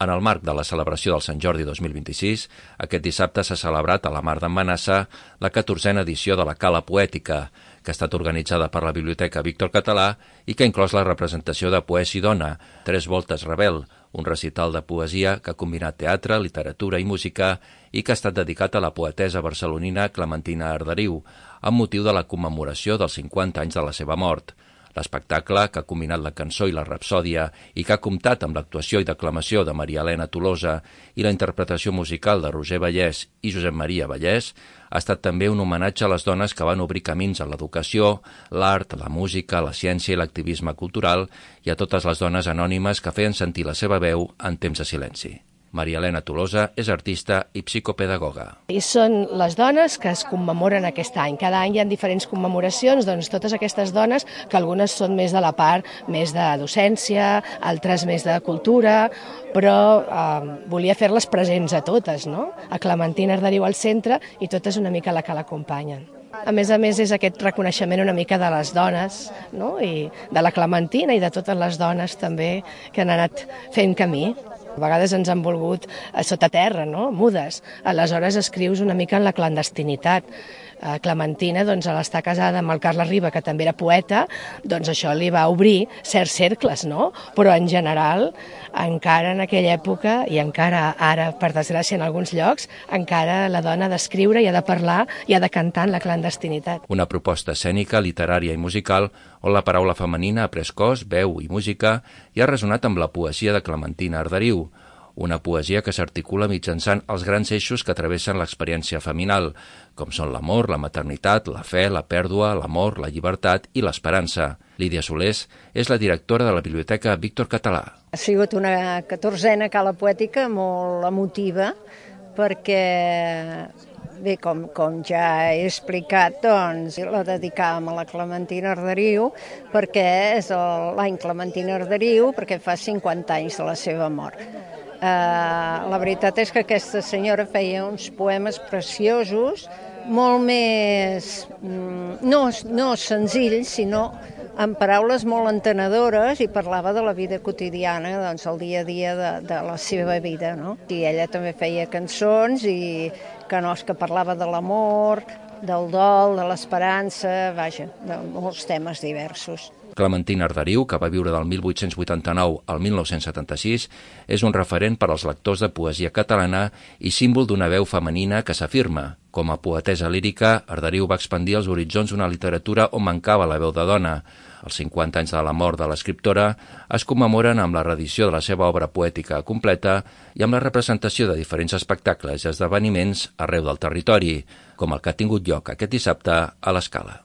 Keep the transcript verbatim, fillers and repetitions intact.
En el marc de la celebració del Sant Jordi dos mil vint-i-sis, aquest dissabte s'ha celebrat a la Mar d'en Manassa la catorzena edició de la Cala Poètica, que ha estat organitzada per la Biblioteca Víctor Català i que ha inclòs la representació de Poesi Dona, Tres voltes Rebel, un recital de poesia que ha combinat teatre, literatura i música i que ha estat dedicat a la poetessa barcelonina Clementina Arderiu, amb motiu de la commemoració dels cinquanta anys de la seva mort. L'espectacle, que ha combinat la cançó i la rapsòdia i que ha comptat amb l'actuació i declamació de Maria Elena Tolosa i la interpretació musical de Roger Vallès i Josep Maria Vallès, ha estat també un homenatge a les dones que van obrir camins en l'educació, l'art, la música, la ciència i l'activisme cultural i a totes les dones anònimes que feien sentir la seva veu en temps de silenci. Maria Elena Tolosa és artista i psicopedagoga. I són les dones que es commemoren aquest any. Cada any hi ha diferents commemoracions, doncs totes aquestes dones, que algunes són més de la part més de docència, altres més de cultura, però eh, volia fer-les presents a totes, no? A Clementina Arderiu al centre i totes una mica la que l'acompanyen. A més a més, és aquest reconeixement una mica de les dones, no? I de la Clementina i de totes les dones també que han anat fent camí. A vegades ens han volgut a sota terra, no? Mudes. Aleshores escrius una mica en la clandestinitat. Clementina, doncs, a l'estar casada amb el Carles Riba, que també era poeta, doncs això li va obrir certs cercles, no? Però en general, encara en aquella època, i encara ara, per desgràcia, en alguns llocs, encara la dona ha d'escriure i ha de parlar i ha de cantar en la clandestinitat. Una proposta escènica, literària i musical on la paraula femenina ha pres cos, veu i música i ha resonat amb la poesia de Clementina Arderiu, una poesia que s'articula mitjançant els grans eixos que travessen l'experiència feminal, com són l'amor, la maternitat, la fe, la pèrdua, l'amor, la llibertat i l'esperança. Lídia Solés és la directora de la Biblioteca Víctor Català. Ha sigut una catorzena cala poètica molt emotiva perquè, bé, com, com ja he explicat, doncs la dedicàvem a la Clementina Arderiu perquè és l'any Clementina Arderiu, perquè fa cinquanta anys de la seva mort. Uh, la veritat és que aquesta senyora feia uns poemes preciosos, molt més, mm, no, no senzills, sinó amb paraules molt entenedores, i parlava de la vida quotidiana, doncs el dia a dia de, de la seva vida, no? I ella també feia cançons i cançons que parlava de l'amor, del dol, de l'esperança, vaja, de molts temes diversos. Clementina Arderiu, que va viure del mil vuit-cents vuitanta-nou al mil nou-cents setanta-sis, és un referent per als lectors de poesia catalana i símbol d'una veu femenina que s'afirma. Com a poetessa lírica, Arderiu va expandir els horitzons d'una literatura on mancava la veu de dona. Els cinquanta anys de la mort de l'escriptora es commemoren amb la reedició de la seva obra poètica completa i amb la representació de diferents espectacles i esdeveniments arreu del territori, com el que ha tingut lloc aquest dissabte a l'Escala.